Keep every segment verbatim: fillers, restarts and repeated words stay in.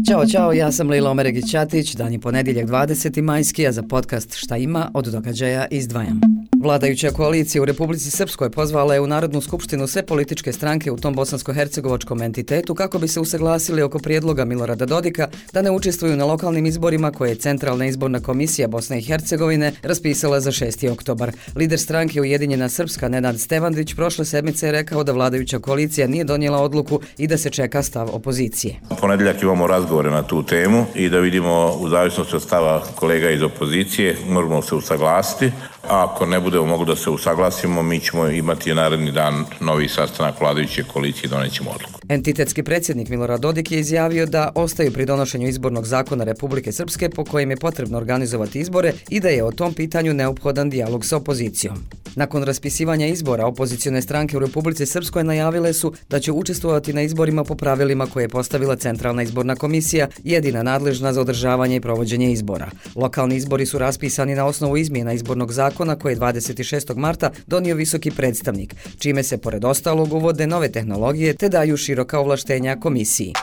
Ćao, čao, ja sam Lila Omeregić-Ćatić, dan je ponedjeljak dvadeseti majski, a za podcast Šta ima od događaja izdvajam. Vladajuća koalicija u Republici Srpskoj pozvala je u Narodnu skupštinu sve političke stranke u tom bosansko-hercegovačkom entitetu kako bi se usaglasili oko prijedloga Milorada Dodika da ne učestvuju na lokalnim izborima koje je Centralna izborna komisija Bosne i Hercegovine raspisala za šesti oktobar. Lider stranke Ujedinjena Srpska Nenad Stevandić prošle sedmice je rekao da vladajuća koalicija nije donijela odluku i da se čeka stav opozicije. U ponedjeljak imamo razgovore na tu temu i da vidimo u zavisnosti od stava kolega iz opozicije možemo se usaglasiti. A ako ne budemo mogli da se usaglasimo, mi ćemo imati naredni dan novi sastanak vladajuće koalicije i donećemo odluku. Entitetski predsjednik Milorad Dodik je izjavio da ostaju pri donošenju izbornog zakona Republike Srpske po kojem je potrebno organizovati izbore i da je o tom pitanju neophodan dijalog sa opozicijom. Nakon raspisivanja izbora, opozicione stranke u Republici Srpskoj najavile su da će učestvovati na izborima po pravilima koje je postavila Centralna izborna komisija, jedina nadležna za održavanje i provođenje izbora. Lokalni izbori su raspisani na osnovu izmjena izbornog zakona koje je dvadeset šestog marta donio visoki predstavnik, čime se pored ostalog uvode nove tehnologije te daju široka ovlaštenja komisiji.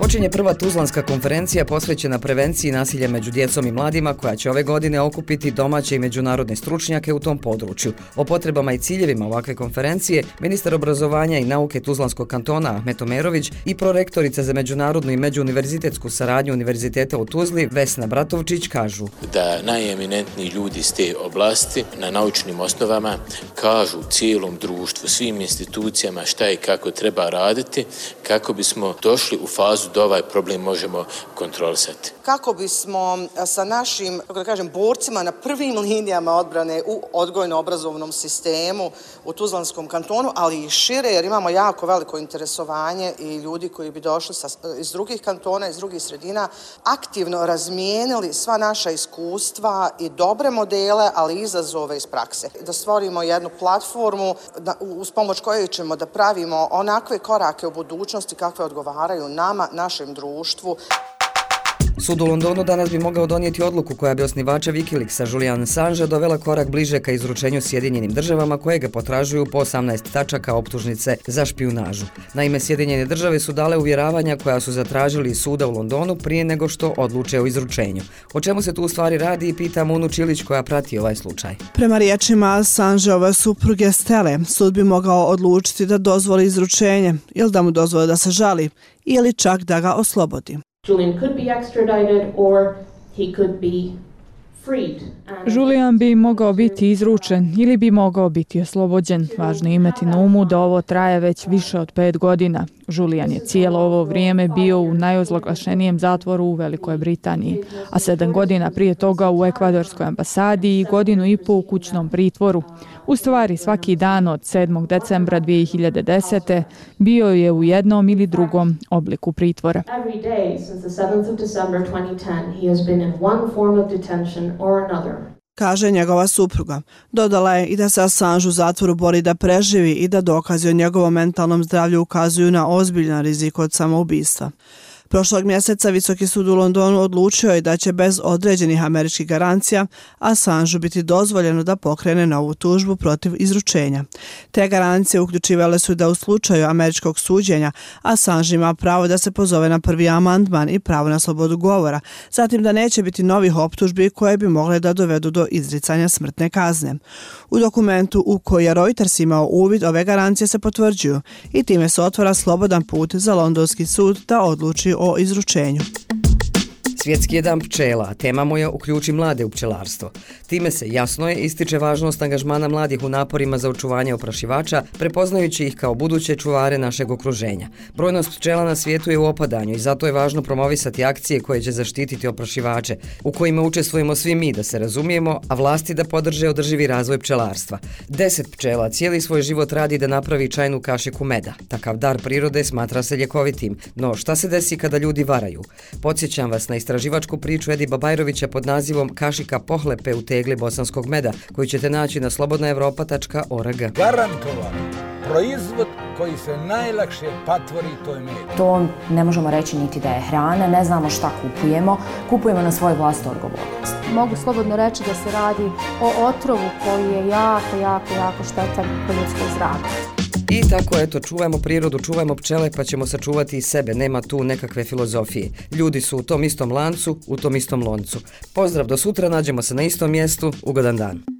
Počinje prva Tuzlanska konferencija posvećena prevenciji nasilja među djecom i mladima koja će ove godine okupiti domaće i međunarodne stručnjake u tom području. O potrebama i ciljevima ovakve konferencije ministar obrazovanja i nauke Tuzlanskog kantona Ahmet Omerović i prorektorica za međunarodnu i međuuniverzitetsku saradnju Univerziteta u Tuzli Vesna Bratovčić kažu da najeminentniji ljudi iz te oblasti na naučnim osnovama kažu cijelom društvu, svim institucijama šta i kako treba raditi kako bismo došli u fazu da ovaj problem možemo kontrolisati. Kako bismo sa našim, kako da kažem, borcima na prvim linijama odbrane u odgojno-obrazovnom sistemu u Tuzlanskom kantonu, ali i šire, jer imamo jako veliko interesovanje i ljudi koji bi došli sa, iz drugih kantona, iz drugih sredina, aktivno razmijenili sva naša iskustva i dobre modele, ali i izazove iz prakse. Da stvorimo jednu platformu da, uz pomoć koje ćemo da pravimo onakve korake u budućnosti kakve odgovaraju nama, našem društvu. Sud u Londonu danas bi mogao donijeti odluku koja bi osnivača Wikileaksa Julian Assangea dovela korak bliže ka izručenju Sjedinjenim državama koje ga potražuju po osamnaest tačaka optužnice za špijunažu. Naime, Sjedinjene države su dale uvjeravanja koja su zatražili iz suda u Londonu prije nego što odluče o izručenju. O čemu se tu u stvari radi i pita Munu Čilić koja prati ovaj slučaj. Prema riječima Assangeove supruge Stele, sud bi mogao odlučiti da dozvoli izručenje ili da mu dozvoli da se žali ili čak da ga oslobodi. Julian could be extradited or he could be freed. Julian bi mogao biti izručen ili bi mogao biti oslobođen. Važno je imati na umu da ovo traje već više od pet godina. Julian je cijelo ovo vrijeme bio u najozloglašenijem zatvoru u Velikoj Britaniji, a sedam godina prije toga u ekvadorskoj ambasadi i godinu i pol u kućnom pritvoru. U stvari, svaki dan od sedmog decembra dvije hiljade desete bio je u jednom ili drugom obliku pritvora. Every day since the seventh of December twenty ten, he has been in one form of detention or another. Kaže njegova supruga. Dodala je i da se Assange u zatvoru bori da preživi i da dokazi o njegovom mentalnom zdravlju ukazuju na ozbiljan rizik od samoubistva. Prošlog mjeseca Visoki sud u Londonu odlučio je da će bez određenih američkih garancija Assangeu biti dozvoljeno da pokrene novu tužbu protiv izručenja. Te garancije uključivale su da u slučaju američkog suđenja Assange ima pravo da se pozove na prvi amandman i pravo na slobodu govora, zatim da neće biti novih optužbi koje bi mogle da dovedu do izricanja smrtne kazne. U dokumentu u koji je Reuters imao uvid, ove garancije se potvrđuju i time se otvara slobodan put za londonski sud da odluči o izručenju. Svjetski je dan pčela, a tema mu je Uključi mlade u pčelarstvo. Time se, jasno je, ističe važnost angažmana mladih u naporima za očuvanje oprašivača, prepoznajući ih kao buduće čuvare našeg okruženja. Brojnost pčela na svijetu je u opadanju i zato je važno promovisati akcije koje će zaštititi oprašivače, u kojima učestvujemo svi mi, da se razumijemo, a vlasti da podrže održivi razvoj pčelarstva. Deset pčela cijeli svoj život radi da napravi čajnu kašiku meda. Takav dar prirode smatra se ljekovitim. No, šta se desi kada ljudi varaju? Podsjećam vas na istraživačku priču Edi Babajrovića pod nazivom Kašika pohlepe u tegli bosanskog meda, koju ćete naći na slobodna evropa tačka org. Garantovan proizvod koji se najlakše patvori, to je med. To ne možemo reći niti da je hrana, ne znamo šta kupujemo, kupujemo na svoju vlastitu odgovornost. Mogu slobodno reći da se radi o otrovu koji je jako, jako, jako štetan po ljudskoj zdravlju. I tako, eto, čuvajmo prirodu, čuvajmo pčele, pa ćemo sačuvati i sebe. Nema tu nekakve filozofije. Ljudi su u tom istom lancu, u tom istom loncu. Pozdrav do sutra, nađemo se na istom mjestu. Ugodan dan.